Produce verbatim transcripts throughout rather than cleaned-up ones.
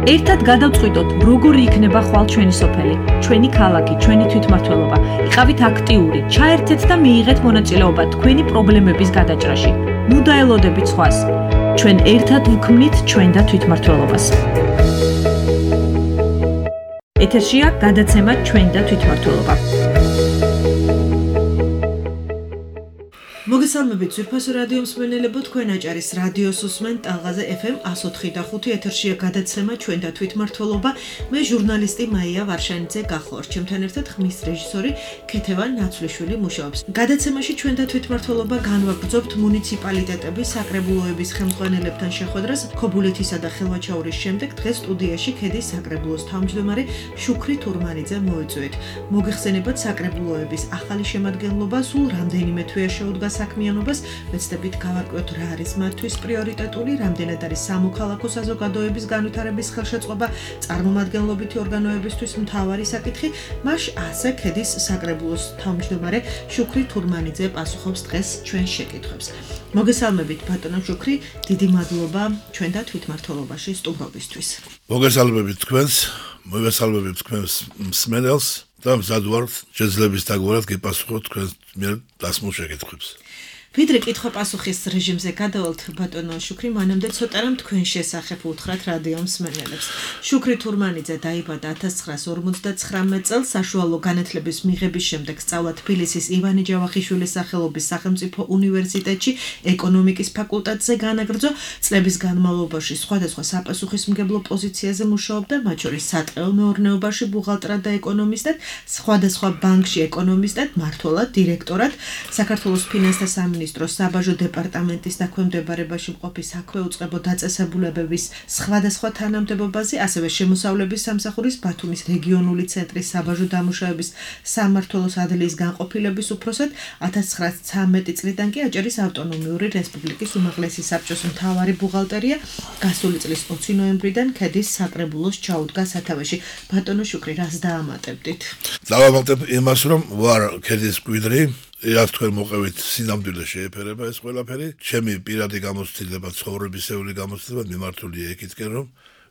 ერთად გადავწყვიტოთ, როგორი იქნება ხვალ ჩვენი სოფელი, ჩვენი ქალაქი, ჩვენი თვითმმართველობა. იყავით აქტიური, ჩაერთეთ და მიიღეთ მონაწილეობა თქვენი პრობლემების გადაჭრაში. ნუ დაელოდებით სხვას. ჩვენ ერთად ვქმნით ჩვენ და თვითმმართველობას. ეთერშია გადაცემა ჩვენ და თვითმმართველობა. მოგესალმებით ძვირფასო რადიო მსმენელებო, თქვენ აჭარის რადიოს უსმენთ ტალღაზე ეფ ემ one oh four point five ეთერშია გადაცემა ჩვენ და თვითმმართველობა. მე ჟურნალისტი მაია ვარშანიძე გახوار. ჩემთან ერთად ხმის რეჟისორი ქეთევან ნაცვლიშვილი მუშაობს. გადაცემაში ჩვენ და თვითმმართველობა განვაგრძობთ მუნიციპალიტეტების საკრებულოების ხელმძღვანელებთან შეხვედრას ქობულეთისა და ხელვაჩაურის შემდეგ დღეს სტუდიაში ქედის საკრებულოს თავმჯდომარე შუქრი თურმანიძე მოეწვიეთ. მოგეხსენებათ საკრებულოების ახალი შემადგენლობა სულ რამდენიმე თვეა შეუდგა საქმიანობას, ვეცდებით გავარკვიოთ რა არის მათთვის პრიორიტეტული, რამდენად არის სამოქალაქო საზოგადოების განვითარების ხელშეწყობა, წარმომადგენლობითი ორგანოებისთვის მთავარი საკითხი, მას ასე ქედის საკრებულოს თავმჯდომარე შუქრი თურმანიძე პასუხობს დღეს ჩვენ შეკითხვებს. მოგესალმებით ბატონო შუქრი, დიდი მადლობა ჩვენ და თვითმმართველობაში სტუმრობისთვის. მოგესალმებით თქვენს, მოგესალმებით თქვენს მსმენელს და მზად ვართ შეძლების დაგვარად გეპასუხოთ თქვენს მიერ დასმულ შეკითხვებს. ვიდრე კითხვა-პასუხის რეჟიმზე გადავალთ ბატონო შუქრი, მანამდე ცოტა რამ თქვენ შესახებ უთხრათ რადიო მსმენელებს. შუქრი თურმანიძე დაიბადა one thousand nine hundred fifty-nine წელს, საშუალო განათლების მიღების შემდეგ სწავლა თბილისის ივანე ჯავახიშვილის სახელობის სახელმწიფო უნივერსიტეტში ეკონომიკის ფაკულტეტზე განაგრძო. წლების განმავლობაში სხვადასხვა საპასუხისმგებლო პოზიციაზე მუშაობდა, მათ შორის სატყეო მეურნეობაში ბუღალტრად და ეკონომისტად, სხვადასხვა ბანკში ეკონომისტად, მმართველად, დირექტორად, საქართველოს ფინანსთა სამინისტროს საბაჟო დეპარტამენტის დაქვემდებარებაში მყოფი საქვეუწყებო დაწესებულებების სხვადასხვა თანამდებობაზე, ასევე შემოსავლების სამსახურის ბათუმის რეგიონული ცენტრის საბაჟო დამუშავების სამმართველოს ადლიის განყოფილების უფროსად, one thousand nine hundred thirteen წლიდან კი აჭარის ავტონომიური რესპუბლიკის უმაღლესი საბჭოს მთავარი ბუღალტერია. გასული წლის ოცი ნოემბრიდან ქედის საკრებულოს ჩაუდგა სათავეში. ბატონო შუქრი, რას დაამატებდით? დავამატებ იმას, რომ ვარ ქედის მკვიდრი. რაც თქვენ მოყევით სინამდვილე შეეფერება ეს ყველაფერი. ჩემი პირადი გამოცდილება, ცხოვრებისეული გამოცდილება მიმართულია იქითკენ, რომ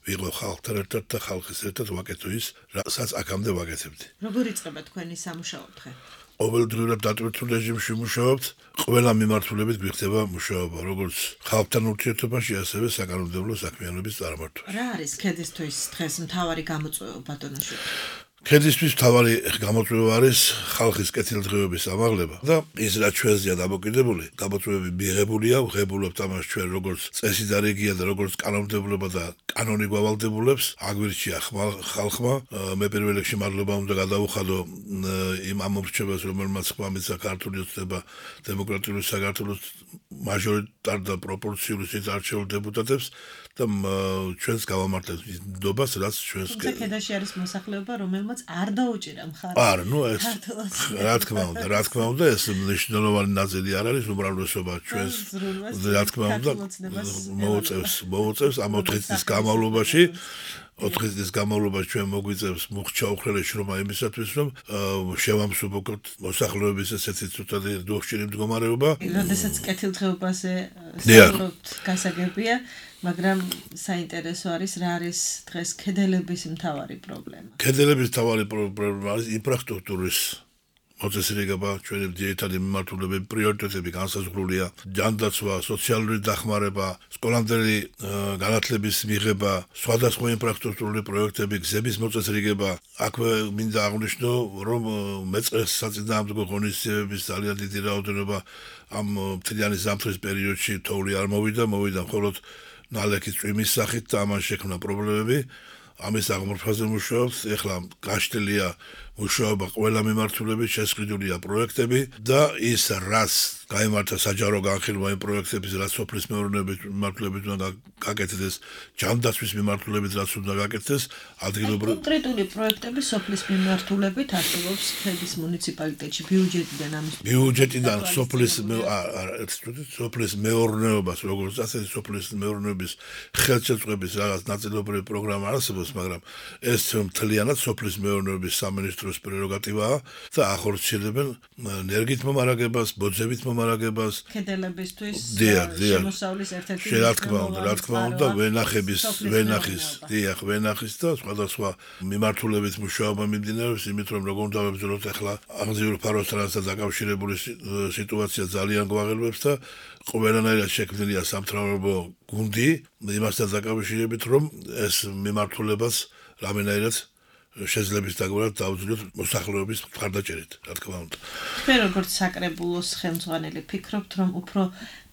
ვიყო ხალხთან ერთად და ხალხის ერთად ვაკეთო ის, რასაც აქამდე ვაკეთებდი. როგორ იწყება თქვენი სამუშაო დღე? ყოველდღიურად დატვირთულ რეჟიმში მუშაობთ, ყველა მიმართულებით გვიხდება მუშაობა, როგორც ხალხთან ურთიერთობაში, ასევე საკანონმდებლო საქმიანობის წარმართვაში. რა არის ქედისთვის დღეს მთავარი გამოწვევა ბატონო შუქრი? ქედისთვის მთავარი გამოწვევა არის ხალხის კეთილდღეობის ამაღლება და ის რაც ჩვენზეა დამოკიდებული, გამოწვევები მიღებულია, ვღებულობთ ამას ჩვენ როგორც წესი და რეგია და როგორც კანონმდებლობა და კანონი გვავალდებულებს. აგვირჩია ხალხმა, მე პირველ რიგში მადლობა უნდა გადავუხადო იმ ამორჩევას, რომელმაც ხმამიცა ქართული ოცნება დემოკრატიული საქართველოს მაჟორიტარ და პროპორციული არჩეულ დეპუტატებს და ჩვენს გავამართლეთ ნდობას, რაც ჩვენს ქედაში არის მოსახლეობა, რომელმაც არ დაუჭირა მხარი. არ, ნუ ეს რა თქმა უნდა, რა თქმა უნდა, ეს მნიშვნელოვანი ნაწილი არ არის, უმრავლესობა ჩვენს რა თქმა უნდა მოუწევს, მოუწევს ამ ოთხი წლის განმავლობაში. ოთხი წლის განმავლობაში ჩვენ მოგვიწევს მუხჩა უხრელეში რომ იმისათვის რომ შევამსუბუქოთ მოსახლეობის ესეთი ცუდად დოხჭირი მდგომარეობა. როდესაც კეთილდღეობაზე საუბრობთ, გასაგებია, მაგრამ საინტერესო არის რა არის დღეს ქედელების მთავარი პრობლემა. ქედელების მთავარი პრობლემა არის ინფრასტრუქტურის მოწესრიგება, ჩვენი ძირითადი მიმართულებები, პრიორიტეტები განსაზღვრულია, ჯანდაცვა, სოციალური დახმარება, სკოლამდელი განათლების მიღება, სხვადასხვა ინფრასტრუქტურული პროექტები, გზების მოწესრიგება. აქვე მინდა აღვნიშნო, რომ მეწყრეს საწინააღმდეგო ღონისძიებების ძალიან დიდი რაოდენობა ამ მთლიანი ზამთრის პერიოდში თოვლი არ მოვიდა, მოვიდა მხოლოდ ნალექის წვიმის სახით და ამან შექმნა პრობლემები. ამის აღმოფხაზე მუშაობს, ეხლა გაშლილია მუშაობა ყველა მიმართულებით, შესყიდულია პროექტები და ის რაც გაიმართა საჯარო განხილვა იმ პროექტების, რაც სოფლის მეურნეობის მიმართულებით უნდა გაკეთდეს, ჯანდაცვის მიმართულებით რაც უნდა გაკეთდეს, ადგილობრივ კონკრეტული პროექტები სოფლის მიმართულებით არსებობს ქედის მუნიციპალიტეტში ბიუჯეტიდან ამის ბიუჯეტიდან სოფლის სოფლის მეურნეობას, როგორც ასეთი სოფლის მეურნეობის ხელშეწყობის რაღაც ნაწილობრივი პროგრამა არსებობს. განხორციელებს, მაგრამ ეს მთლიანად სოფლის მეურნეობის სამინისტროს პრეროგატივაა და ახორციელებენ ნერგით მომარაგებას, ბოძებით მომარაგებას. ქედელებისთვის შემოსავლის ერთ-ერთი რა თქმა უნდა, რა თქმა უნდა, ვენახების, ვენახის, დიახ, ვენახის და სხვადასხვა მიმართულებით მუშაობა მიმდინარეობს, იმით რომ როგორ უნდა ვებრძოლოთ ახლა აღზრდილი ფაროსთანაც დაკავშირებული სიტუაცია ძალიან გვაღელვებს და ყველანაირად შექმნილია სამთავრობო გუნდი იმასთან დაკავშირებით, რომ ეს მიმართულებას რამენაირად შეძლებს დაგვარად დაუძლიოთ მოსახლეობის მხარდაჭერით, რა თქმა უნდა. თქვენ როგორც საკრებულოს ხელმძღვანელი ფიქრობთ, რომ უფრო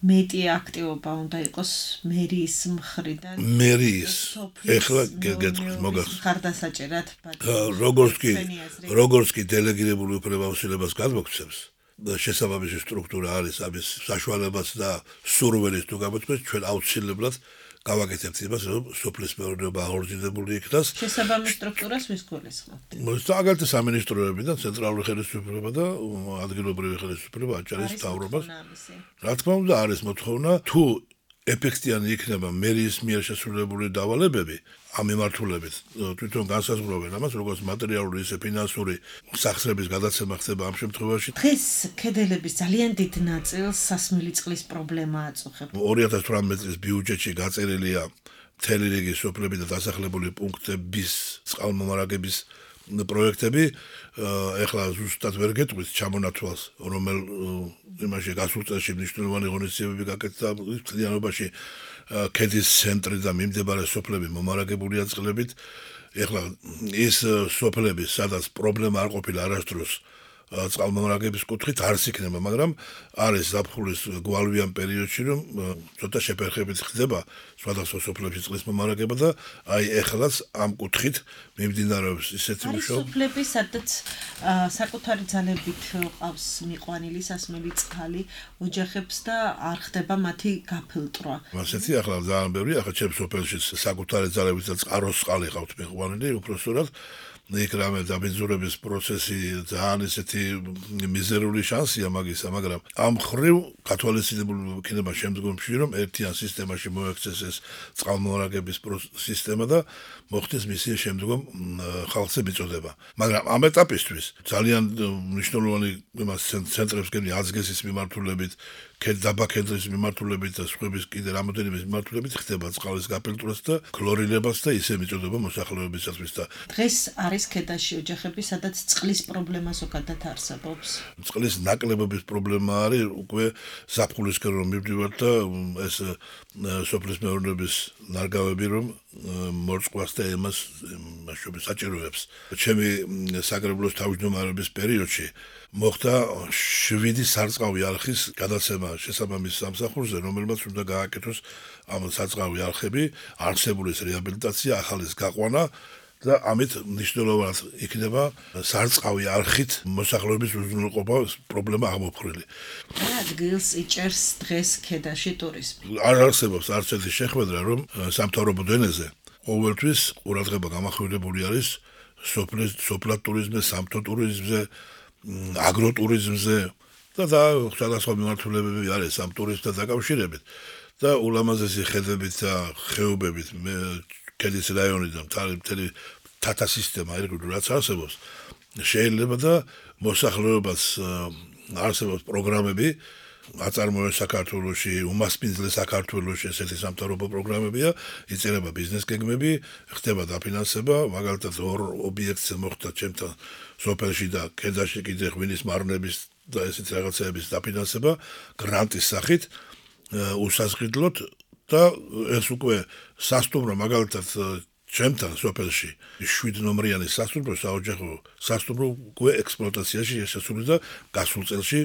მეტი აქტივობა უნდა იყოს მერიის მხრიდან? მერიის. ეხლა გეტყვით მოგახსოვს. მხარდასაჭერად როგორც კი როგორც კი დელეგირებული უფლებამოსილებას გადმოგცემს შესაბამისი სტრუქტურა არის ამის საშუალებაც და სურვილის თუ გამოთქვეს ჩვენ აუცილებლად გავაკეთებთ იმას რომ სოფლის მეურნეობა აღორძინებული იქნას შესაბამის სტრუქტურას ვის გულისხმობთ? მაგალითად სამინისტროებიდან ცენტრალური ხელისუფლება და ადგილობრივი ხელისუფლება აჭარის მთავრობას რა თქმა უნდა არის მოთხოვნა თუ ეფექტიანი იქნება მერიის მიერ შესრულებული დავალებები ამ მიმართულებით თვითონ განსაზღვრავენ ამას როგორც მატერიალური ისე ფინანსური სახსრების გადაცემა ხდება ამ შემთხვევაში დღეს ქედელების ძალიან დიდ ნაწილს სასმელი წყლის პრობლემა აწუხებს ორი ათას თვრამეტ წლის ბიუჯეტში გაწერილია მთელი რიგი სოფლები და დასახლებული პუნქტების წყალმომარაგების პროექტები ეხლა ზუსტად ვერ გეტყვით ჩამონათვალს რომელ იმაში გასულ წელში მნიშვნელოვანი ღონისძიებები გაკეთდა მთლიანობაში ქედის ცენტრი და მიმდებარე სოფლები მომარაგებულია წყლებით ეხლა ის სოფლები სადაც პრობლემა არ ყოფილა არასდროს წყალმომარაგების კუთხით არც იქნება მაგრამ არის ზაფხულის გვალვიან პერიოდში რომ ცოტა შეფერხებით ხდება სხვადასხვა სოფლებში წყლის მომარაგება და აი ეხლაც ამ კუთხით მიმდინარეობს ისეთი მუშაობა სოფლები სადაც საკუთარი ძალებით ყავს მიყვანილი სასმელი წყალი ოჯახებს და არ ხდება მათი გაფილტრვა ასეთი ახლა ძალიან ბევრი ახლა ჩემს სოფელში საკუთარი ძალებით და წყაროს წყალი ყავთ მიყვანილი უпроსტად იქ რამე დაბინძურების პროცესი ძალიან ისეთი მიზერული შანსია მაგისა, მაგრამ ამ ხრივ კათოლიციზმური იქნება შემდგომში რომ ერთიან სისტემაში მოექცეს ეს წყალმომარაგების სისტემა და მოხდეს მისი შემდგომ ხალხზე მიწოდება. მაგრამ ამ ეტაპისთვის ძალიან მნიშვნელოვანი იმას ცენტრებს გენი აზგესის მიმართულებით დაბა კედლის მიმართულებით და სხვების კიდე რამოდენიმე მიმართულებით ხდება წყლის გაფილტრებას და ქლორილებას და ისე მიწოდება მოსახლეობისათვის და დღეს არის ქედაში ოჯახები სადაც წყლის პრობლემა ზოგადად არსებობს წყლის ნაკლებობის პრობლემა არის უკვე ზაფხულისკენ რომ მივდივართ და ეს სოფლის მეურნეობის ნარგავები რომ მორწყვას და ემას მასშტაბის საჭიროებს ჩემი საკრებულოს თავმჯდომარეობის პერიოდში მოხდა შვიდი სარწყავი არხის გადაცემა შესაბამის სამსახურზე რომელმაც უნდა გააკეთოს ამ სარწყავი არხები არსებულის რეაბილიტაცია ახალის გაყვანა და ამით მნიშვნელოვნად იქნება სარწყავი არხით მოსახლეობის უზრუნველყოფა პრობლემა აღმოფხვრილი. რა ადგილს იჭერს დღეს ქედაში ტურიზმი? არ არსებობს არც ერთი შეხვედრა რომ სამთავრობო დონეზე ყოველთვის ყურადღება გამახვილებული არის სოფლის სოფლად ტურიზმზე, სამთო ტურიზმზე, აგროტურიზმზე და და სხვადასხვა მიმართულებები არის ამ ტურიზმთან დაკავშირებით და ულამაზესი ხედებით და ხეობებით ქედის რაიონიდან მთელი თათა სისტემა ერგული რაც არსებობს შეიძლება და მოსახლეობას არსებობს პროგრამები აწარმოებს საქართველოში უმასპინძლე საქართველოში ესეთი სამთავრობო პროგრამებია იწერება ბიზნეს გეგმები ხდება დაფინანსება მაგალითად ორ ობიექტზე მოხდა ჩემთან სოფელში და ქედაში კიდე ღვინის მარნების და ესეთი რაღაცების დაფინანსება გრანტის სახით უსაზღიდლოდ და ეს უკვე სასტუმრო მაგალითად ჩემთან სოფელში შვიდ ნომრიანი სასტუმრო საოჯახო სასტუმრო უკვე ექსპლუატაციაში შესული და გასულ წელში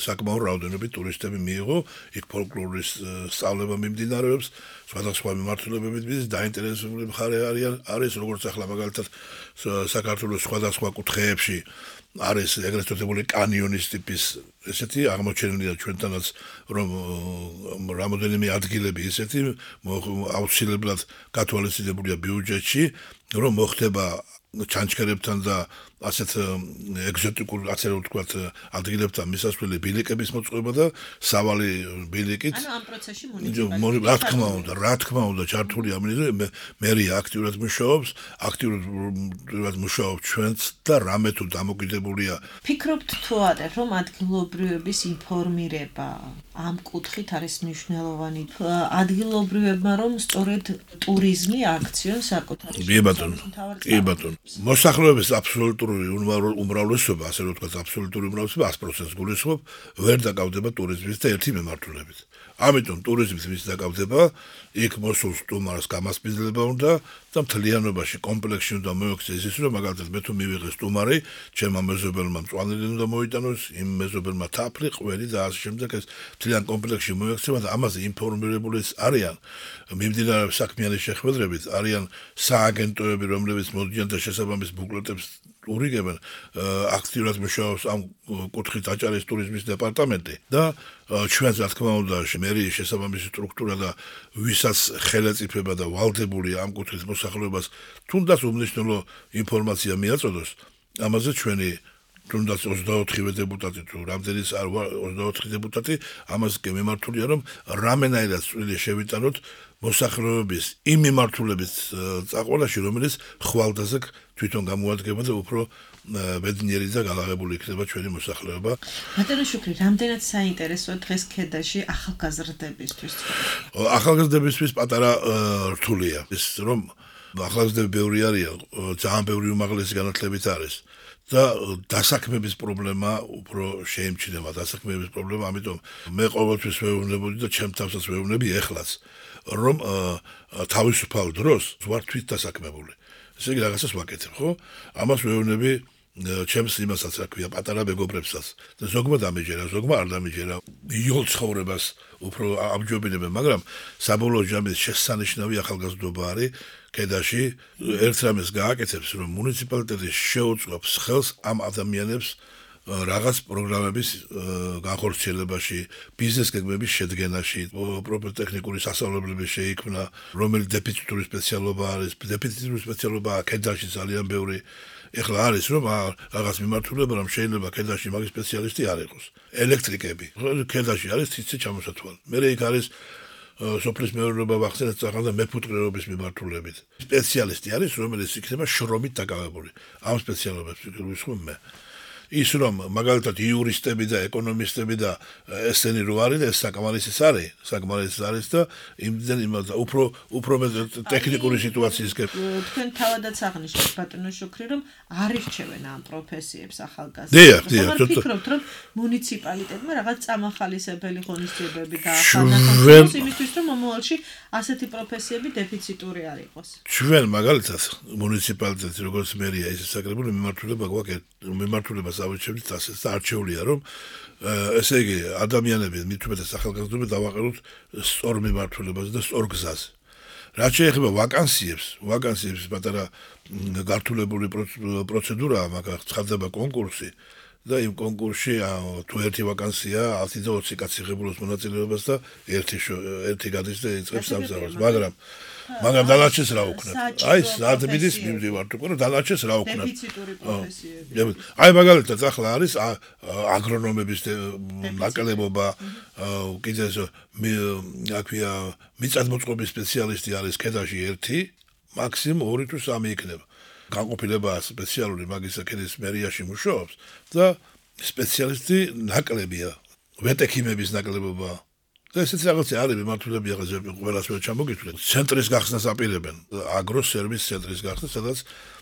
საკმაო რაოდენობით ტურისტები მიიღო იქ ფოლკლორის სწავლება მიმდინარეობს სხვადასხვა მიმართულებებით მის დაინტერესებული მხარე არიან არის როგორც ახლა მაგალითად საქართველოს სხვადასხვა კუთხეებში არის ეგრეთ წოდებული კანიონის ტიპის ესეთი აღმოჩენილია ჩვენთანაც რომ რამოდენიმე ადგილები ესეთი აუცილებლად გათვალისწინებულია ბიუჯეტში რომ მოხდება ჩანჩქერებთან და ასეთ ეგზოტიკურ ასე რომ ვთქვათ ადგილებთან მისასვლელი ბილიკების მოწყობა და სავალი ბილიკით ანუ ამ პროცესში მუნიციპალიტეტი რა თქმა უნდა რა თქმა უნდა ჩართული ამინიზე მერია აქტიურად მუშაობს აქტიურად მუშაობს ჩვენც და რამე თუ დამოკიდებულია ფიქრობთ თუ არა რომ ადგილობრივების ინფორმირება ამ კუთხით არის მნიშვნელოვანი ადგილობრივებმა რომ სწორედ ტურიზმი აქციონ საკუთარი კი ბატონო კი ბატონო მოსახლეობის აბსოლუტური უმრავლესობა ასე რომ ვთქვათ აბსოლუტური უმრავლესობა ას პროცენტს გულისხმობ ვერ დაკავდება ტურიზმის და ერთი მემართულებით ამიტომ ტურიზმის ვის დაკავდება იქ მოსულ სტუმარს გამასპინძლება უნდა და მთლიანობაში კომპლექსში უნდა მოექცეს ის რომ მაგალითად მე თუ მივიღე სტუმარი ჩემმა მეზობელმა მწვანილი უნდა მოიტანოს იმ მეზობელმა თაფლი ყველი და ასე შემდეგ ეს მთლიან კომპლექსში მოექცება და ამაზე ინფორმირებული არიან მიმდინარე საქმიანი შეხვედრებით არიან სააგენტოები რომლებიც მოდიან და შესაბამის ბუკლეტებს ურიგებენ აქტიურად მუშაობს ამ კუთხით აჭარის ტურიზმის დეპარტამენტი და ჩვენს რა თქმა უნდა მერიის შესაბამისი სტრუქტურა და ვისაც ხელეწიფება და ვალდებული ამ კუთხის მოსახლეობას თუნდაც უმნიშვნელო ინფორმაცია მიაწოდოს ამაზე ჩვენი თუნდაც ოცდაოთხივე დეპუტატი თუ რამდენიც არ ვარ ოცდაოთხი დეპუტატი ამას კი მიმართულია რომ რამენაირად წვლილი შევიტანოთ მოსახლეობის იმ მიმართულების წაყოლაში რომელიც ხვალდაზე თვითონ გამოადგება და უფრო ბედნიერი და გალაღებული იქნება ჩვენი მოსახლეობა. ბატონო შუქრი, რამდენად საინტერესოა დღეს ქედაში ახალგაზრდებისთვის? ახალგაზრდებისთვის პატარა რთულია. ის რომ ახალგაზრდები ბევრი არიან, ძალიან ბევრი უმაღლესი განათლებით არის. და დასაქმების პრობლემა უფრო შეიმჩნევა დასაქმების პრობლემა, ამიტომ მე ყოველთვის ვეუბნებოდი და ჩემ თავსაც ვეუბნები ეხლაც, რომ თავისუფალ დროს ვარ თვით დასაქმებული. ესე იგი რაღაცას ვაკეთებ, ხო? ამას ვეუბნები ჩემს იმასაც რა ქვია, პატარა მეგობრებსაც. და ზოგმა დამეჯერა, ზოგმა არ დამეჯერა. იოლ ცხოვრებას უფრო ამჯობინებენ, მაგრამ საბოლოო ჯამის შესანიშნავი ახალგაზრდობა არის ქედაში. ერთ რამეს გააკეთებს, რომ მუნიციპალიტეტი შეუწყობს ხელს ამ ადამიანებს რაღაც პროგრამების განხორციელებაში, ბიზნეს გეგმების შედგენაში, პროფესიო-ტექნიკური სასწავლებლების შეიქმნა, რომელი დეფიციტური სპეციალობა არის, დეფიციტური სპეციალობაა ქედაში ძალიან ბევრი. ეხლა არის რომ რაღაც მიმართულება რომ შეიძლება ქედაში მაგის სპეციალისტი არ იყოს. ელექტრიკები. ქედაში არის ციცი ჩამოსათვალე. მე იქ არის სოფლის მეურნეობა ვახსენეთ წაღან და მეფუტკრეობის მიმართულებით. სპეციალისტი არის რომელიც იქნება შრომით დაკავებული. ამ სპეციალობებს ვისხმობ მე. ის რომ მაგალითად იურისტები და ეკონომისტები და ესენი რო არის ეს საკმარისი არის, საკმარისი არის და იმდენ იმას უფრო უფრო ტექნიკური სიტუაციის გებ. თქვენ თავადაც აღნიშნეთ ბატონო შუქრი რომ არ ირჩევენ ამ პროფესიებს ახალგაზრდებს. დიახ, დიახ, ვფიქრობთ რომ მუნიციპალიტეტმა რაღაც წამახალისებელი ღონისძიებები დაახმაროს იმისთვის რომ მომავალში ასეთი პროფესიები დეფიციტური არ იყოს. ჩვენ მაგალითად მუნიციპალიტეტი როგორც მერია ისე საკრებულო მიმართულება გვაქვს მიმართულებას ავიჩევთ ასე და არჩეულია რომ ესე იგი ადამიანები მithumetes ახალგაზრდები დავაყენოთ სწორ მიმართულებაზე და სწორ გზაზე. რაც შეეხება ვაკანსიებს, ვაკანსიებს პატარა გართულებული პროცედურაა, მაგრამ ცხადდება კონკურსი და იმ კონკურსში თუ ერთი ვაკანსია ათი და ოცი კაცი ღებულობს მონაწილეობას და ერთი ერთი გადის და იწყებს სამსახურს, მაგრამ მაგრამ დანარჩენს რა უქნათ? აი, საათბიდის მიმდივართ უკვე, რომ დანარჩენს რა უქნათ? დეფიციტური პროფესიები. აი, მაგალითად, ახლა არის აგრონომების ნაკლებობა, კიდე ეს აქვია მიწათმოწყობის სპეციალისტი არის ქედაში ერთი, მაქსიმუმ ორი თუ სამი იქნება. განყოფილება სპეციალური მაგისა ქედის მერიაში მუშაობს და სპეციალისტი ნაკლებია, ვეტექიმების ნაკლებობა. და ესეც რაღაცა არის მიმართულები ახლა ყველას ვერ ჩამოგიწვევთ. ცენტრის გახსნას აპირებენ, აგროს სერვის ცენტრის გახსნას, სადაც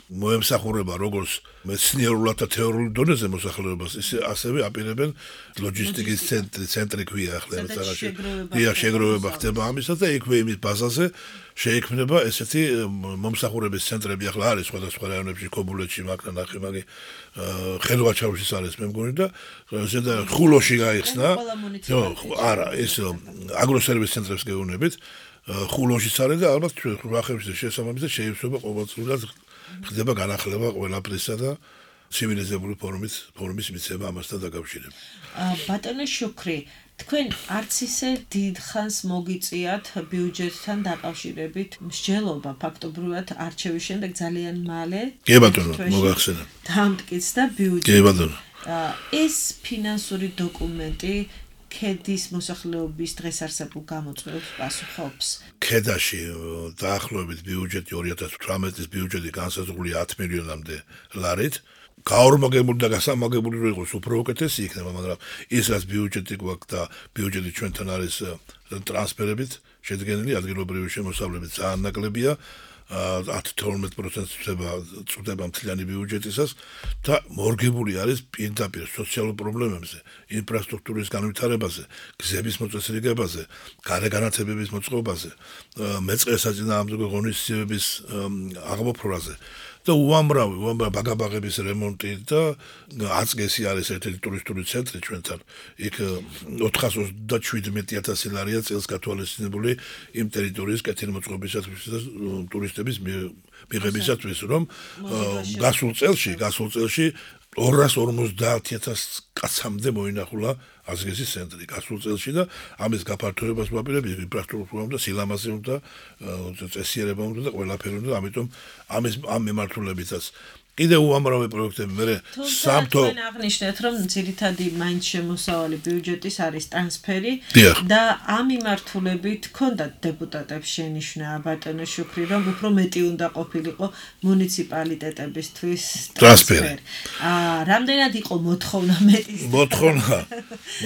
მოემსახურება როგორც მეცნიერულად და თეორიულ დონეზე მოსახლეობას, ისე ასევე აპირებენ ლოჯისტიკის ცენტრი, ცენტრი ქვია ახლა რაღაცაში. დიახ, შეგროვება ხდება ამისა და იქვე იმის ბაზაზე შეიქმნება ესეთი მომსახურების ცენტრები ახლა არის სხვადასხვა რაიონებში, ქობულეთში, მაგდა ნახემაგი, ხელვაჩაუშიც არის მე მგონი და ზედა ხულოში გაიხსნა. არა, ეს აგროსერვის ცენტრებს გეუბნებით. ხულოშიც არის და ალბათ ვახებში შესაბამისად შეიცვალა ყოველწლიურად ხდება განახლება ყველაფრისა და ცივილიზებული ფორმის ფორმის მიცემა ამასთან დაკავშირებით. ბატონო შუქრი, თქვენ არც ისე დიდხანს მოგიწიათ ბიუჯეტთან დაკავშირებით მსჯელობა ფაქტობრივად არჩევის შემდეგ ძალიან მალე კი ბატონო მოგახსენა დამტკიცდა ბიუჯეტი კი ბატონო ეს ფინანსური დოკუმენტი ქედის მოსახლეობის დღეს არსებულ გამოწვევებს პასუხობს. ქედაში დაახლოებით ბიუჯეტი ორი ათას თვრამეტის ბიუჯეტი განსაზღვრულია ათ მილიონამდე ლარით. გაორმაგებული და გასამაგებული რო იყოს უფრო უკეთესი იქნება, მაგრამ ის რაც ბიუჯეტი გვაქვს და ბიუჯეტი ჩვენთან არის ტრანსფერებით შედგენილი ადგილობრივი შემოსავლებით ძალიან ნაკლებია. ათ თორმეტ პროცენტს წვდება მთლიანი ბიუჯეტისას და მორგებული არის პირდაპირ სოციალურ პრობლემებზე, ინფრასტრუქტურის განვითარებაზე, გზების მოწესრიგებაზე, გარე განათებების მოწყობაზე, მეწყერ საწინააღმდეგო ღონისძიებების აღმოფხვრაზე და უამრავი, უამრავი ბაგაბაღების რემონტი და აწგესი არის ერთ-ერთი ტურისტული ცენტრი ჩვენთან. იქ ოთხას ოცდაშვიდმეტი ათასი ლარია წელს გათვალისწინებული იმ ტერიტორიის კეთილმოწყობისათვის და ტურისტების მიღებისათვის, რომ გასულ წელში, გასულ წელში ორას ორმოცდაათი ათას კაცამდე მოინახულა აზგესის ცენტრი გასულ წელში და ამის გაფართოებას ვაპირებ ინფრასტრუქტურამ და სილამაზე უნდა წესიერება უნდა და ყველაფერი უნდა, ამიტომ ამის ამ მიმართულებითაც კიდევ უამრავი პროექტები მე სამთო თქვენ აღნიშნეთ რომ ძირითადი მაინც შემოსავალი ბიუჯეტის არის ტრანსფერი და ამ მიმართულებით ქონდათ დეპუტატებს შენიშვნა ბატონო შუქრი რომ უფრო მეტი უნდა ყოფილიყო მუნიციპალიტეტებისთვის ტრანსფერი. აა რამდენად იყო მოთხოვნა მეტის მოთხოვნა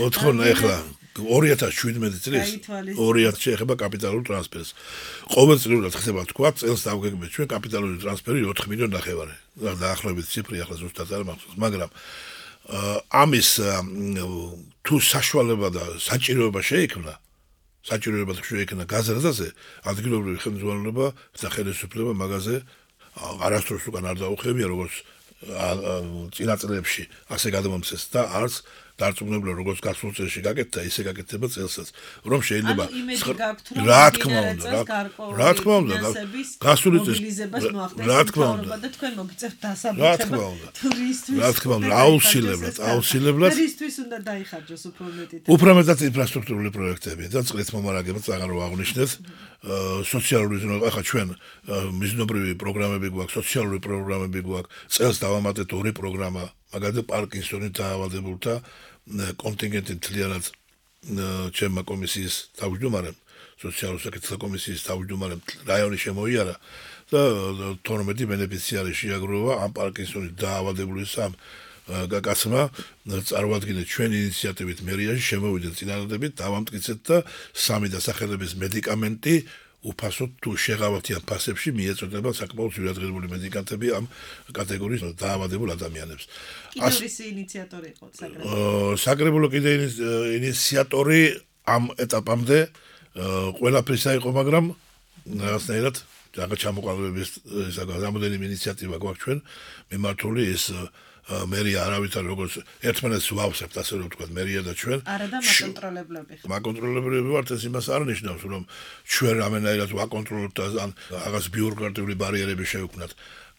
მოთხოვნა ეხლა ორი ათას შვიდმეტი წლის ორი ათასი ეხება კაპიტალურ ტრანსფერს. ყოველწლიურად ხდება თქვა, წელს დავგეგმეთ ჩვენ კაპიტალური ტრანსფერი ოთხ მილიონი ნახევარი. დაახლოებით ციფრი ახლა ზუსტად არ მახსოვს, მაგრამ ამის თუ საშუალება და საჭიროება შეიქმნა, საჭიროება შეიქმნა გაზრდაზე, ადგილობრივი ხელმძღვანელობა და ხელისუფლება მაგაზე არასდროს უკან არ დაუხებია, როგორც წინა წლებში ასე გადამომცეს და არც დარწმუნებული როგორც გასულ წელში გაკეთდა, ისე გაკეთდება წელსაც. რომ შეიძლება რა თქმა უნდა, რა თქმა უნდა, გასული წელს რა თქმა უნდა და თქვენ მოგიწევთ დასაბუთება ტურისტვის. რა თქმა უნდა, აუცილებლად, აუცილებლად ტურისტვის უნდა დაიხარჯოს უფრო მეტი. უფრო მეტად ინფრასტრუქტურული პროექტები და წყლის მომარაგება წაღარ რო აღნიშნეთ. სოციალური ზონა, ახლა ჩვენ მიზნობრივი პროგრამები გვაქვს, სოციალური პროგრამები გვაქვს, წელს დავამატეთ ორი პროგრამა, მაგალითად პარკინსონით დაავადებულთა კონტინგენტი მთლიანად ჩემმა კომისიის თავმჯდომარემ, სოციალურ საკითხთა კომისიის თავმჯდომარემ რაიონი შემოიარა და თორმეტი ბენეფიციარი შეაგროვა ამ პარკინსონით დაავადებული სამ გაკაცმა წარმოადგენთ ჩვენი ინიციატივით მერიაში შემოვიდნენ წინადადებით, დავამტკიცეთ და სამი დასახელების მედიკამენტი უფასოდ თუ შეღავათიან ფასებში მიეწოდება საკმაოდ ძვირადღირებული მედიკამენტები ამ კატეგორიის დაავადებულ ადამიანებს. კიდევ ის ინიციატორი იყო საკრებულო. საკრებულო კიდე ინიციატორი ამ ეტაპამდე ყველაფრისა იყო, მაგრამ რაღაცნაირად რაღაც ჩამოყალიბების რამდენიმე ინიციატივა გვაქვს ჩვენ მიმართული ის მერია არავითარ როგორც ერთმანეთს ვავსებთ, ასე რომ ვთქვათ, მერია და ჩვენ. არა და მაკონტროლებლები. მაკონტროლებლები ვართ, ეს იმას არ ნიშნავს, რომ ჩვენ რამენაირად ვაკონტროლოთ და ან რაღაც ბიუროკრატიული ბარიერები შევქმნათ.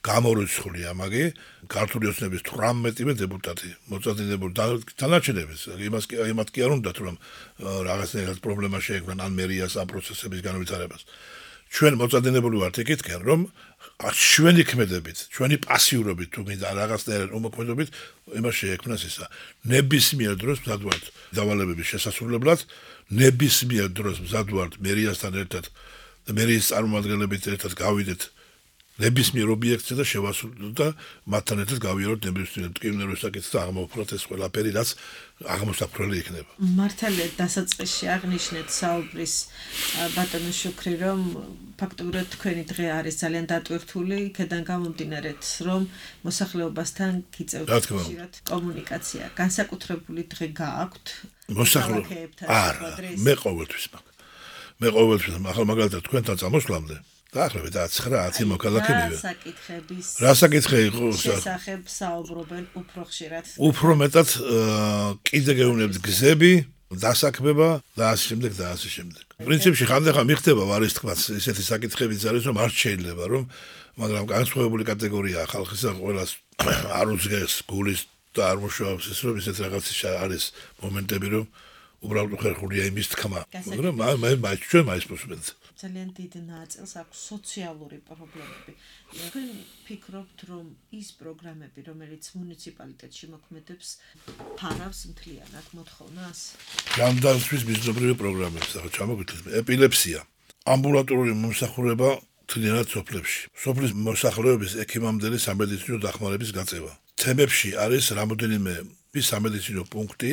გამორიცხულია მაგი ქართული ოცნების თვრამეტივე დეპუტატი მოწადინებული დანარჩენების იმას იმათ კი არ უნდათ რომ რაღაცნაირად პრობლემა შეექმნან ან მერიას ამ პროცესების განვითარებას. ჩვენ მოწადინებული ვართ ეკითხენ რომ ჩვენი ქმედებით, ჩვენი პასიურობით თუ მინდა რაღაცნაირად უმოქმედებით იმას შეექმნას ისა. ნებისმიერ დროს მზად ვართ დავალებების შესასრულებლად, ნებისმიერ დროს მზად ვართ მერიასთან ერთად და მერიის წარმომადგენლებით ერთად გავიდეთ ნებისმიერ ობიექტზე და შევასრულოთ და მათთან ერთად გავიაროთ ნებისმიერ მტკივნეულ საკითხს და აღმოფხვრათ ეს ყველაფერი რაც აღმოსაფრელი იქნება. მართალია დასაწყისში აღნიშნეთ საუბრის ბატონო შუქრი რომ ფაქტობრივად თქვენი დღე არის ძალიან დატვირთული, იქედან გამომდინარეთ რომ მოსახლეობასთან გიწევთ ხშირად კომუნიკაცია. განსაკუთრებული დღე გააქვთ მოსახლეობასთან? არა, მე ყოველთვის მაქვს. მე ყოველთვის ახლა მაგალითად თქვენთან წამოსვლამდე დაახლოებით ცხრა ათი მოქალაქე მივიდა. რა საკითხების რა საკითხი იყო შესახებ საუბრობენ უფრო ხშირად? უფრო მეტად კიდე გეუბნებთ გზები, დასაქმება და ასე შემდეგ და ასე შემდეგ. პრინციპში ხანდახან მიხდება ვარის თქმაც ესეთი საკითხებიც არის რომ არ შეიძლება რომ მაგრამ განსხვავებული კატეგორიაა ხალხისა ყველას არ უძგეს გულის და არ მუშაობს ის რომ ესეთ რაღაც არის მომენტები რომ უბრალოდ ხერხულია იმის თქმა, მაგრამ მე მე ჩვენ მაინც მოსმენთ. ძალიან დიდ ნაწილს აქვს სოციალური პრობლემები. თქვენ ფიქრობთ, რომ ის პროგრამები, რომელიც მუნიციპალიტეტში მოქმედებს, ფარავს მთლიანად მოთხოვნას? ჯანდაცვის მიზნობრივი პროგრამები, ახლა ჩამოგვითხრეთ, ეპილეფსია, ამბულატორული მომსახურება მთლიანად სოფლებში. სოფლის მოსახლეობის ექიმამდელი სამედიცინო დახმარების გაწევა. თემებში არის რამოდენიმე სამედიცინო პუნქტი,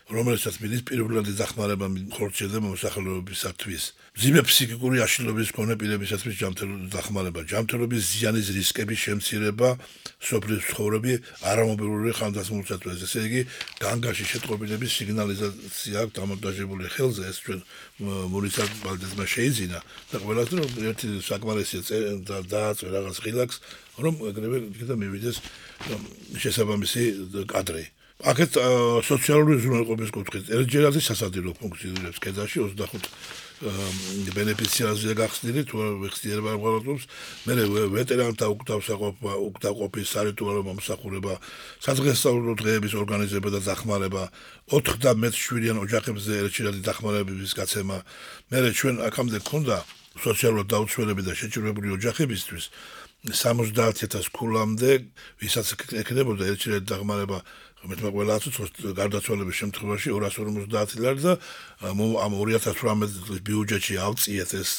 რომელსაც მიდის პირველადი დახმარება ხორციელდება მოსახლეობისათვის. მძიმე ფსიქიკური აშლილობის მქონე პირებისათვის ჯანმრთელობის დახმარება, ჯანმრთელობის ზიანის რისკების შემცირება, სოფლის ცხოვრები არამობილური ხანდაზმულისათვის. ესე იგი, განგაში შეტყობინების სიგნალიზაცია აქვს დამონტაჟებული ხელზე, ეს ჩვენ მუნიციპალიტეტმა შეიძინა და ყველას რომ ერთი საკმარისია დააწერ რაღაც ღილაკს, რომ ეგრევე იქნება მივიდეს შესაბამისი კადრი. აქეთ სოციალური უზრუნველყოფის კუთხით ერთჯერადი სასადილო ფუნქციონირებს კედაში ოცდახუთ ბენეფიციარზეა გახსნილი თუ ხსნიერება აღარ მერე ვეტერანთა უკთავსაყოფა უკთავყოფის სარიტუალო მომსახურება სადღესასწაულო დღეების ორგანიზება და დახმარება ოთხ და მეტ შვიდიან ოჯახებზე ერთჯერადი დახმარებების გაცემა მერე ჩვენ აქამდე გქონდა სოციალურად დაუცველები და შეჭირვებული ოჯახებისთვის სამოცდაათ ათას ქულამდე ვისაც ექნებოდა ერთჯერადი დახმარება მეტმა ყველა აწუხოს გარდაცვალების შემთხვევაში ორას ორმოცდაათ ლარი და ამ ორი ათას თვრამეტ წლის ბიუჯეტში ავწიეთ ეს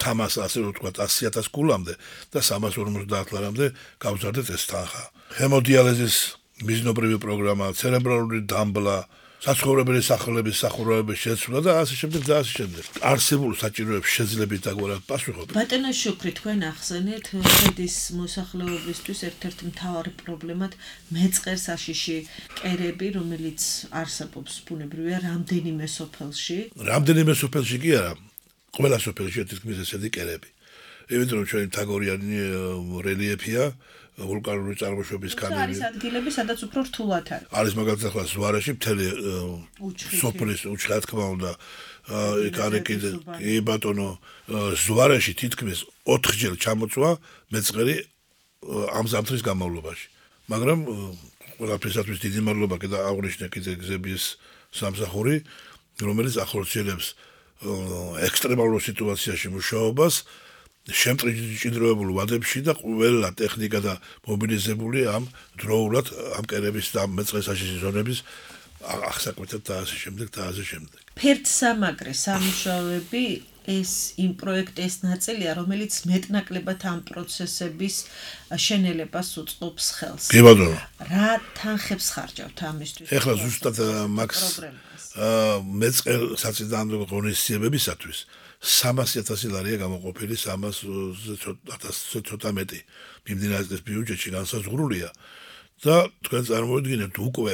თამას ასე რომ ვთქვათ ასი ათას ქულამდე და სამას ორმოცდაათ ლარამდე გავზარდეთ ეს თანხა. ჰემოდიალიზის მიზნობრივი პროგრამა, ცერებრალური დამბლა, საცხოვრებელი სახლების სახურავების შეცვლა და ასე შემდეგ და ასე შემდეგ. არსებულ საჭიროებს შეძლებით დაგვარად პასუხობთ. ბატონო შუქრი, თქვენ ახსენეთ ხედის მოსახლეობისთვის ერთ-ერთ მთავარი პრობლემად მეწყერ საშიში კერები, რომელიც არსებობს ბუნებრივია რამდენიმე სოფელში. რამდენიმე სოფელში კი არა, ყველა სოფელში თითქმის ესეთი კერები. იმიტომ რომ ჩვენი თაგორიანი რელიეფია ვულკანური წარმოშობის ქანები. არის ადგილები, სადაც უფრო რთულად არის. არის მაგალითად ახლა ზვარეში მთელი სოფლის უჩხა თქმა უნდა იქ არის კიდე კი ბატონო ზვარეში თითქმის ოთხჯერ ჩამოწვა მეწყერი ამ ზამთრის განმავლობაში. მაგრამ ყველაფრისათვის დიდი მადლობა კიდე აღნიშნე კიდე გზების სამსახური, რომელიც ახორციელებს ექსტრემალურ სიტუაციაში მუშაობას შემჭიდროებულ ვადებში და ყველა ტექნიკა და მობილიზებული ამ დროულად ამ კერების და მეწყერსაშიში ზონების აღსაკვეთად და ასე შემდეგ და ასე შემდეგ. ფერდსამაგრე სამუშაოები ეს იმ პროექტის ნაწილია, რომელიც მეტნაკლებად ამ პროცესების შენელებას უწყობს ხელს. კი ბატონო. რა თანხებს ხარჯავთ ამისთვის? ეხლა ზუსტად მაქს მეწყერ საწინააღმდეგო ღონისძიებებისათვის სამასი ათასი ლარია გამოყოფილი სამას ათასზე ცოტა მეტი მიმდინარე წლის ბიუჯეტში განსაზღვრულია და თქვენ წარმოვიდგინეთ უკვე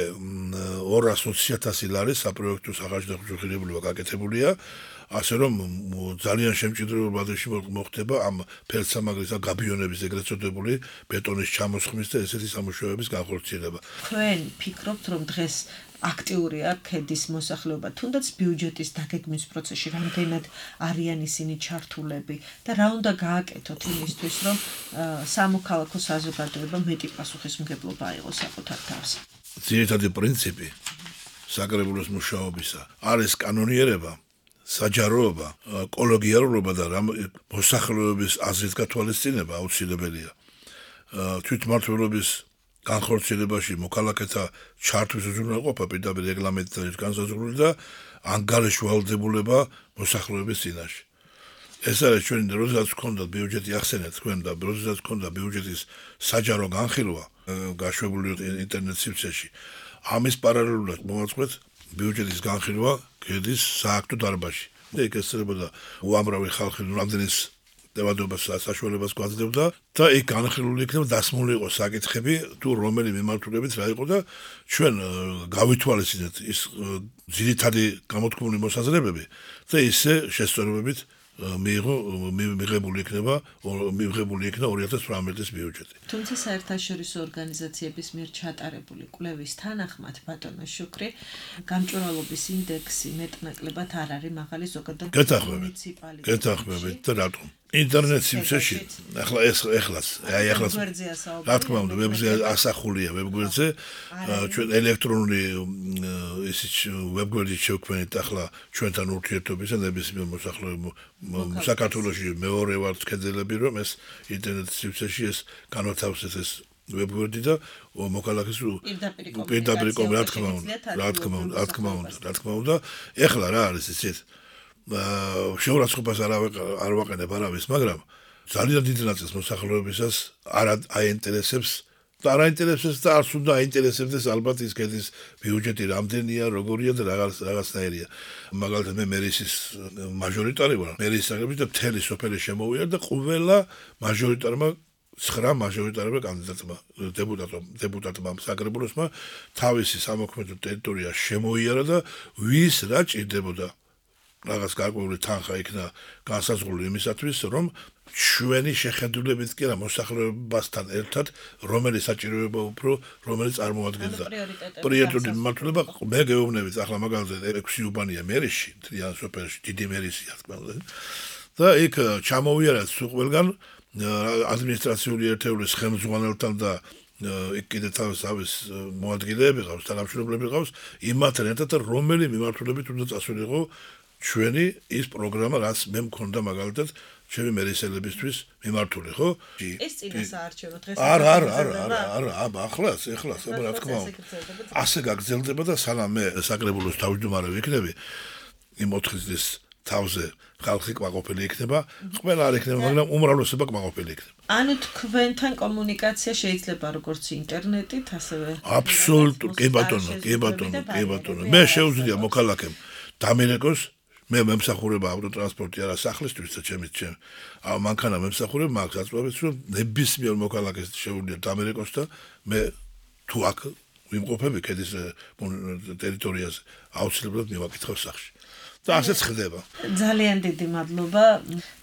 ორას ოცი ათასი ლარი საპროექტო სახარჯდახურებულება გაკეთებულია ასე რომ ძალიან შემჭიდროებულ ვადებში მოხდება ამ ფერდსამაგრის და გაბიონების ეგრეთ წოდებული ბეტონის ჩამოსხმის და ესეთი სამუშაოების განხორციელება. თქვენ ფიქრობთ რომ დღეს აქტიურია ქედის მოსახლეობა, თუნდაც ბიუჯეტის დაგეგმვის პროცესში რამდენად არიან ისინი ჩართულები და რა უნდა გააკეთოთ იმისთვის, რომ სამოქალაქო საზოგადოება მეტი პასუხისმგებლობა აიღოს საკუთარ თავზე. ძირითადი პრინციპი საკრებულოს მუშაობისა არის კანონიერება, საჯაროობა, კოლეგიალურობა და მოსახლეობის აზრის გათვალისწინება აუცილებელია. თვითმმართველობის განხორციელებაში მოქალაქეთა ჩართვის უზრუნველყოფა პირდაპირ რეგლამენტით განსაზღვრული და ანგარიში ვალდებულება მოსახლეობის წინაშე. ეს არის ჩვენი როდესაც გქონდა ბიუჯეტი ახსენეთ თქვენ და როდესაც გქონდა ბიუჯეტის საჯარო განხილვა გაშვებული ინტერნეტ სივრცეში. ამის პარალელურად მოვაწყოთ ბიუჯეტის განხილვა ქედის სააქტო დარბაზში. და იქ ესწრებოდა უამრავი ხალხი რამდენის დევადობას საშუალებას გვაძლევდა და იქ განხილული იქნება დასმული იყო საკითხები თუ რომელი მიმართულებით რა იყო და ჩვენ გავითვალისწინეთ ის ძირითადი გამოთქმული მოსაზრებები და ისე შესწორებებით მიიღო მიღებული იქნება მიღებული იქნა ორი ათას თვრამეტი წლის ბიუჯეტი. თუმცა საერთაშორისო ორგანიზაციების მიერ ჩატარებული კვლევის თანახმად ბატონო შუქრი გამჭვირვალობის ინდექსი მეტნაკლებად არ არის მაღალი ზოგადად მუნიციპალიტეტებში. გეთახმებით და რატომ? ინტერნეტ სიმსეში ახლა ეს ეხლაც აი ეხლაც რა თქმა უნდა ვებზე ასახულია ვებგვერდზე ჩვენ ელექტრონული ისიც ვებგვერდით შევქმნით ახლა ჩვენთან ურთიერთობისა ნებისმიერ მოსახლეობ საქართველოში მეორე ვარ კედელები რომ ეს ინტერნეტ სიმსეში ეს განათავსეს ეს ვებგვერდი და მოქალაქეს პირდაპირ რა თქმა უნდა რა თქმა უნდა რა თქმა უნდა რა თქმა უნდა ეხლა რა არის ისეთ შეურაცხყოფას არ არ ვაყენებ არავის მაგრამ ძალიან დიდი ნაწილს მოსახლეობისას არ აინტერესებს და არ აინტერესებს და არც უნდა აინტერესებდეს ალბათ ის კედის ბიუჯეტი რამდენია როგორია და რაღაც რაღაცნაირია მაგალითად მე მერისის მაჟორიტარი ვარ მერის საკრების და მთელი სოფელი შემოვიარ და ყველა მაჟორიტარმა ცხრა მაჟორიტარმა კანდიდატმა დეპუტატმა დეპუტატმა საკრებულოსმა თავისი სამოქმედო ტერიტორია შემოიარა და ვის რა ჭირდებოდა რაღაც გარკვეული თანხა იქნა განსაზღვრული იმისათვის რომ ჩვენი შეხედულებით კი რა მოსახლეობასთან ერთად რომელი საჭიროება უფრო რომელი წარმოადგენდა პრიორიტეტული მიმართულება მე გეუბნებით ახლა მაგალითად ექვსი უბანია მერიში თრიან სოფელში დიდი მერისია თქმა უნდა და იქ ჩამოვიარა ყველგან ადმინისტრაციული ერთეულის ხელმძღვანელთან და იქ კიდე თავის მოადგილეები ყავს თანამშრომლები ყავს იმათთან ერთად რომელი მიმართულებით უნდა წასულიყო ჩვენი ის პროგრამა რაც მე მქონდა მაგალითად ჩემი მერისელებისთვის მიმართული ხო ეს წინასაარჩევნო დღეს არა არა არა არა აბა ახლაც ეხლაც აბა რა თქმა უნდა ასე გაგრძელდება და სანამ მე საკრებულოს თავმჯდომარე ვიქნები იმ ოთხი წლის თავზე ხალხი კმაყოფილი იქნება ყველა არ იქნება მაგრამ უმრავლესობა კმაყოფილი იქნება ანუ თქვენთან კომუნიკაცია შეიძლება როგორც ინტერნეტით ასევე აბსოლუტურად კი ბატონო კი ბატონო კი ბატონო მე შეუძლია მოქალაქემ დამირეკოს მე მემსახურება ავტოტრანსპორტი არა სახლისთვის და ჩემი ჩემ ა მანქანა მემსახურება მაგ საწვავებს რომ ნებისმიერ მოქალაქეს შეუძლია დამირეკოს და მე თუ აქ ვიმყოფები ქედის ტერიტორიაზე აუცილებლად მივაკითხავ სახლში და ასეც ხდება. ძალიან დიდი მადლობა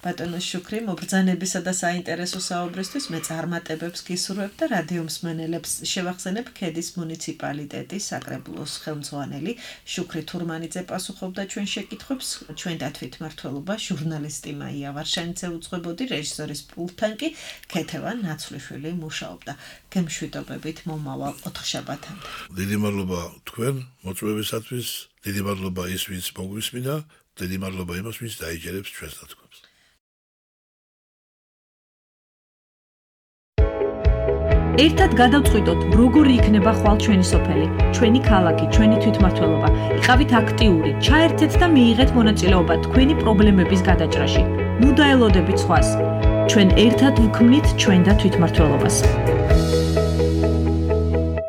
ბატონო შუქრი მობრძანებისა და საინტერესო საუბრისთვის მე წარმატებებს გისურვებ და რადიო მსმენელებს შევახსენებ ქედის მუნიციპალიტეტის საკრებულოს ხელმძღვანელი შუქრი თურმანიძე პასუხობდა ჩვენ შეკითხვებს ჩვენ დათვითმმართველობა ჟურნალისტი მაია ვარშანიძე უძღვებოდი რეჟისორის პულტთან კი ქეთევან ნაცვლიშვილი მუშაობდა გემშვიდობებით მომავალ ოთხშაბათამდე. დიდი მადლობა თქვენ მოწვევისათვის დიდი მადლობა ის ვინც მოგვისმინა, დიდი მადლობა იმას ვინც დაიჯერებს ჩვენს ნათქვამს. ერთად გადავწყვიტოთ, როგორი იქნება ხვალ ჩვენი სოფელი, ჩვენი ქალაქი, ჩვენი თვითმმართველობა. იყავით აქტიური, ჩაერთეთ და მიიღეთ მონაწილეობა თქვენი პრობლემების გადაჭრაში. ნუ დაელოდებით სხვას. ჩვენ ერთად ვქმნით ჩვენ და თვითმმართველობას.